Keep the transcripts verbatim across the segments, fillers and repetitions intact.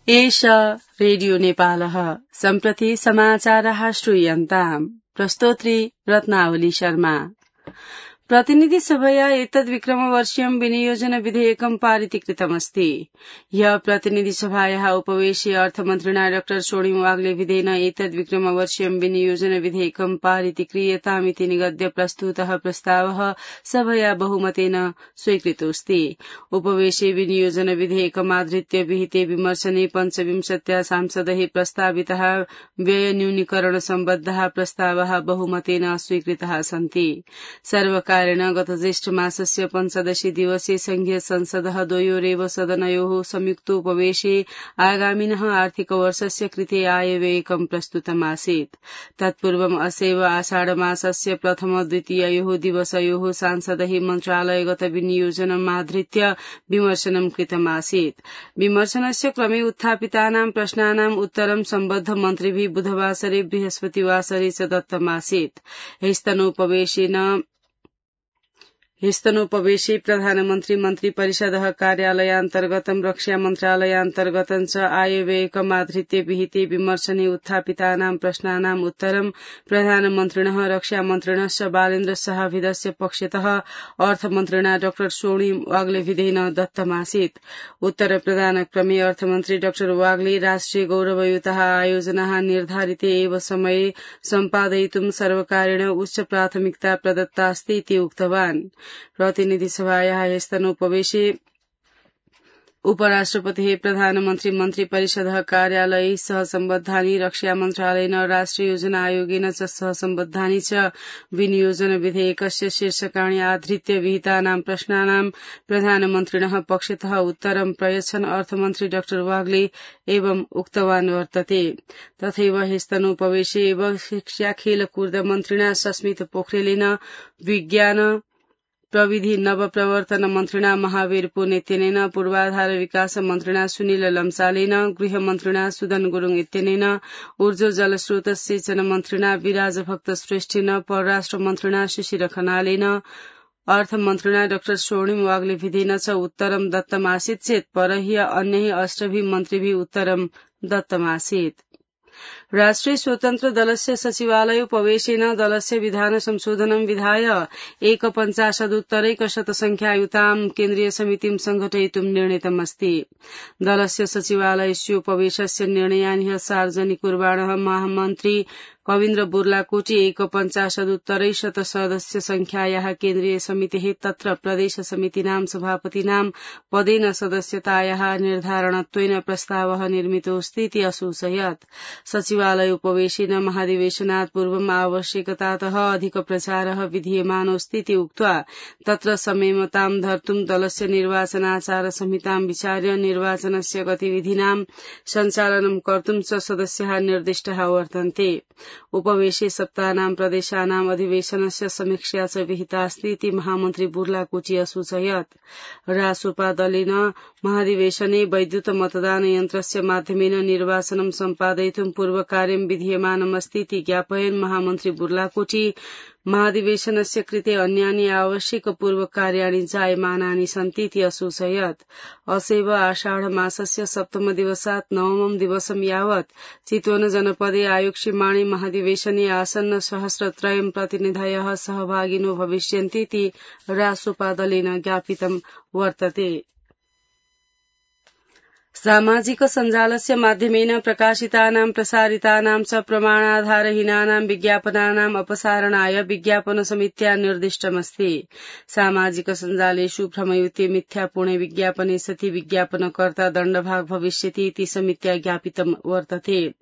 एष रेडियो नेपालः सम्प्रति समाचारः श्रूयन्ताम् प्रस्तोत्री रत्नावली शर्मा। प्रतिनिधि सभया एतद्विक्रमवर्षीयं विनियोजन विधेयकं पारितीकृतमस्ति। ह्यः प्रतिनिधि सभायाः उपवेशे अर्थमन्त्रिणा डॉ सोणिम वाग्ले विधेन एतद्विक्रमवर्षीयं विनियोजन विधेयकं पारितीक्रियतामिति निगद्य प्रस्तुतः प्रस्तावः सभया बहुमतेन स्वीकृतोऽस्ति। उपवेशे विनियोजन विधेयकमाधृत्य विहिते विमर्शने पञ्चविंशत्या सांसदैः प्रस्तावितः व्ययन्यूनीकरण सम्बद्धाः प्रस्तावाः बहुमतेन स्वीकृताः सन्ति। सर्वकार गत ज्येष्ठ मासस्य पञ्चदशी दिवसे संघीय संसदः द्वयोरेव सदनयोः संयुक्तोपवेशे आगामिनः आर्थिक वर्षस्य कृते आयव्ययकं प्रस्तुतमासीत्। तत्पूर्वम् असैव आषाढ मासस्य प्रथम द्वितीययोः दिवसयोः सांसदैः मन्त्रालयगत विनियोजनमाधृत्य विमर्शनं कृतमासीत्। विमर्शनस्य क्रमे उत्थापितानां प्रश्नानाम् उत्तरं सम्बद्ध मन्त्रिभिः बुधवासरे बृहस्पतिवासरे च दत्तमासीत्। ह्यस्तनोपवेशेन ह्यस्तनोपवेशे प्रधानमन्त्री मन्त्रिपरिषदः कार्यालयान्तर्गतं रक्षा मन्त्रालयान्तर्गतं च आयव्ययकमाधृत्य विहिते विमर्शने उत्थापितानां प्रश्नानाम् उत्तरं प्रधानमन्त्रिणः रक्षामन्त्रिणश्च बालेन्द्र शाहभिदस्य पक्षतः अर्थमन्त्रिणा डॉ सोणिम वाग्लेभिदेन दत्तमासीत्। उत्तरप्रदानक्रमे अर्थमन्त्री डॉ वाग्ले राष्ट्रिय गौरवयुतः आयोजनाः निर्धारिते एव समये सम्पादयितुं सर्वकारेण उच्च प्राथमिकता प्रदत्तास्ति इति उक्तवान्। प्रतिनिधि सभायाः ह्यस्तनोपवेशे उपराष्ट्रपतिः प्रधानमन्त्री मन्त्रिपरिषदः कार्यालयैः सह सम्बद्धानि रक्षा मन्त्रालयेन राष्ट्रिय योजना आयोगेन च सह सम्बद्धानि च विनियोजन विधेयकस्य शीर्षकाणि आधृत्य विहितानां प्रश्नानां प्रधानमन्त्रिणः पक्षतः उत्तरं प्रयच्छन् अर्थमन्त्री डॉ वाग्ले एवं उक्तवान् वर्तते। तथैव ह्यस्तनोपवेशे एव शिक्षा खेलकूद मन्त्रिणा सस्मित पोखरेलेन विज्ञान प्रविधि नवप्रवर्तन मन्त्रिणा महावीर पुनेत्यनेन पूर्वाधार विकास मन्त्रिणा सुनिल लम्सालेन गृहमन्त्रिणा सुदन गुरुङ इत्यनेन ऊर्जा जलस्रोत सिंचन मन्त्रिणा विराजभक्त श्रेष्ठेन परराष्ट्र मन्त्रिणा शिशिर खनालेन अर्थमन्त्रिणा डॉ सोणिम वाग्लेभिदेन च उत्तरं दत्तमासीत् चेत् परह्य अन्यैः अष्टभिः मन्त्रिभिः उत्तरं दत्तमासीत्। राष्ट्रिय स्वतन्त्र दलस्य सचिवालयोपवेशेन दलस्य विधान संशोधनं विधाय एकपञ्चाशदुत्तरैकशतसंख्यायुतां केन्द्रीय समितिं संघटयितुं निर्णीतमस्ति। दलस्य सचिवालयस्योपवेशस्य निर्णयान् ह्यः सार्वजनिकुर्वाणः महामन्त्री कवीन्द्र बुर्लाकोटी एकपञ्चाशदुत्तरैशत सदस्य संख्यायाः केन्द्रीय समितेः तत्र प्रदेश समितीनां सभापतीनां पदेन सदस्यतायाः निर्धारणत्वेन प्रस्तावः निर्मितोऽस्ति इति असूचयत्। सचिवालयोपवेशेन महाधिवेशनात् पूर्वम् आवश्यकतातः अधिक प्रचारः विधीयमानोऽस्ति इति उक्त्वा तत्र संयमतां धर्तुं दलस्य निर्वाचनाचार संहितां विचार्य निर्वाचनस्य गतिविधीनां सञ्चालनं कर्तुं च सदस्याः निर्दिष्टाः वर्तन्ते। उपवेशे सप्तानां प्रदेशानां अधिवेशनस्य समीक्षा च विहितास्ति इति महामन्त्री बुर्लाकोटी असूचयत्। रासोपा दलेन महाधिवेशने वैद्युत मतदान यन्त्रस्य माध्यमेन निर्वाचनं सम्पादयितुं पूर्वकार्यं विधीयमानमस्ति इति ज्ञापयन् महामन्त्री बुर्लाकोटी महाधिवेशनस्य कृते अन्यानि आवश्यक पूर्वकार्याणि जायमानानि सन्ति इति असूचयत्। असैव आषाढ मासस्य सप्तम दिवसात् नवमं दिवसं यावत् चितवन जनपदे आयोक्ष्यमाणे महाधिवेशने आसन्न सहस्रत्रयं प्रतिनिधयः सहभागिनो भविष्यन्ति इति रासोपा दलेन ज्ञापितं वर्तते। सामाजिक सञ्जालस्य माध्यमेन प्रकाशितानां प्रसारितानां च प्रमाणाधारहीनानां विज्ञापनानाम् अपसारणाय विज्ञापन समित्या निर्दिष्टमस्ति। सामाजिक सञ्जालेषु भ्रमयुते मिथ्यापूर्णे विज्ञापने सति विज्ञापनकर्ता दण्डभाग् भविष्यति इति समित्या ज्ञापितं वर्तते।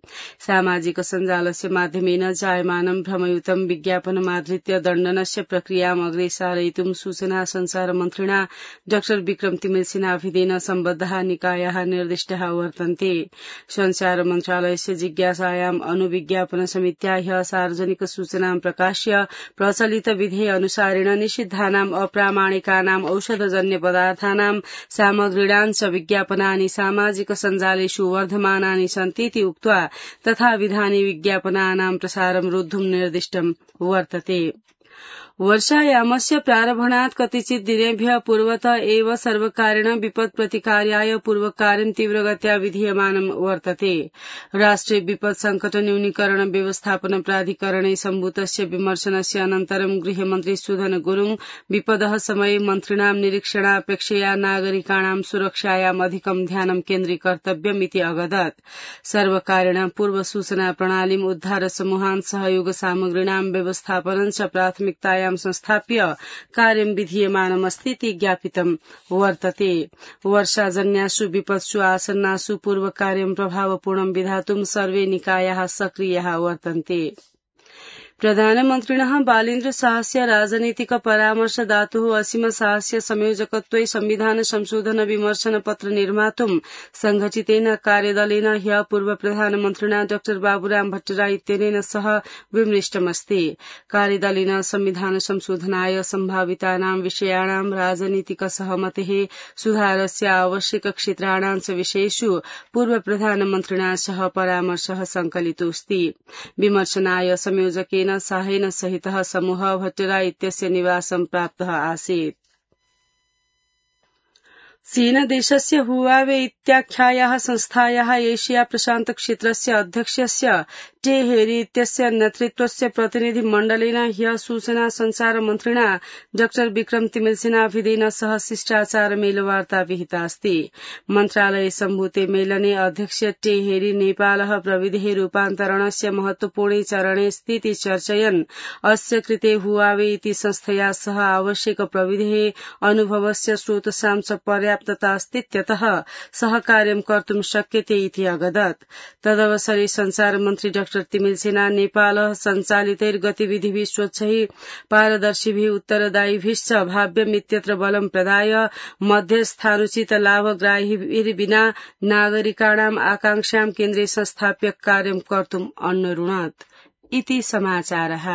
सामाजिक सञ्जालस्य माध्यमेन जायमानं भ्रमयुतं विज्ञापनमाधृत्य दण्डनस्य प्रक्रियाम् अग्रे सारयितुं सूचना संचार मन्त्रिणा डॉ विक्रम तिमिल सिन्हाभिदेन सम्बद्धाः निकायाः निर्दिष्टाः वर्तन्ते। संचार मन्त्रालयस्य जिज्ञासायाम् अनुविज्ञापन समित्या ह्यः सार्वजनिक सूचनां प्रकाश्य प्रचलित विधेय अनुसारेण निषिद्धानाम् अप्रामाणिकानाम् औषधजन्य पदार्थानां सामग्रीणां च विज्ञापनानि सामाजिक सञ्जालेषु वर्धमानानि सन्ति इति उक्त्वा तथा विधानि विज्ञापनानां प्रसारं रोद्धुं निर्दिष्टं वर्तते। वर्षायामस्य प्रारम्भणात् कतिचित् दिनेभ्यः पूर्वतः एव सर्वकारेण विपत् प्रतिकार्याय पूर्वकार्यं तीव्रगत्या विधीयमानं वर्तते। राष्ट्रिय विपत् संकट न्यूनीकरण व्यवस्थापन प्राधिकरणे सम्भूतस्य विमर्शनस्य अनन्तरं गृहमन्त्री सुधन गुरुङ विपदः समये मन्त्रिणां निरीक्षणापेक्षया नागरिकाणां सुरक्षायाम् अधिकं ध्यानं केन्द्रीकर्तव्यमिति अगदत्। सर्वकारेण पूर्व सूचना प्रणालीम् उद्धार समूहान् सहयोग सामग्रीणां व्यवस्थापनं च प्राथमिकतायां संस्थाप्य कार्यं विधीयमानमस्तीति ज्ञापितं वर्तते। वर्षाजन्यासु विपत्सु आसन्नासु पूर्वकार्यं प्रभावपूर्णं विधातुं सर्वे निकायाः सक्रियाः वर्तन्ते। प्रधानमन्त्रिणः बालेन्द्र शाहस्य राजनीतिक परामर्शदातुः असीम शाहस्य संयोजकत्वे संविधान संशोधन विमर्शन पत्र निर्मातुं संघटितेन कार्यदलेन ह्यः पूर्व प्रधानमन्त्रिणा डाक्टर बाबुराम भट्टराई इत्यनेन सह विमृष्टमस्ति। कार्यदलेन संविधान संशोधनाय सम्भावितानां विषयाणां राजनीतिक सहमतेः सुधारस्य आवश्यक क्षेत्राणां च विषयेषु पूर्व प्रधानमन्त्रिणा सह परामर्शः संकलितोऽस्ति। विमर्शनाय संयोजकेन साहेन सहितः समूह भट्टराई इत्यस्य निवासं प्राप्तः आसीत्। चीनदेशस्य हुवावे इत्याख्यायाः संस्थायाः एशिया प्रशान्त क्षेत्रस्य अध्यक्षस्य टे हेरी इत्यस्य नेतृत्वस्य प्रतिनिधि मण्डलेन ह्यः सूचना संचार मन्त्रिणा डाक्टर विक्रम तिमिल्सिनाभिदेन सह शिष्टाचार मेलवार्ता विहितास्ति। मन्त्रालये सम्भूते मेलने अध्यक्ष टे हेरी नेपालः प्रविधिः रूपान्तरणस्य महत्वपूर्णे चरणे स्थिति चर्चयन् अस्य कृते हुवावे इति संस्थया सह आवश्यक प्रविधिः अनुभवस्य स्रोतसां च पर्याप्ततास्तीत्यतः सहकार्यं कर्तुं शक्यते इति अगदत्। तदवसरे संचार मन्त्री डाक्टर तिमिल्सिना नेपालः सञ्चालितैर्गतिविधिभिः स्वच्छैः पारदर्शिभिः उत्तरदायिभिश्च भाव्यमित्यत्र बलं प्रदाय मध्यस्थानुचित लाभग्राहिभिर्विना नागरिकाणाम् आकांक्षां केन्द्रे संस्थाप्य कार्यं कर्तुम् अन्नरुणत् इति समाचारः।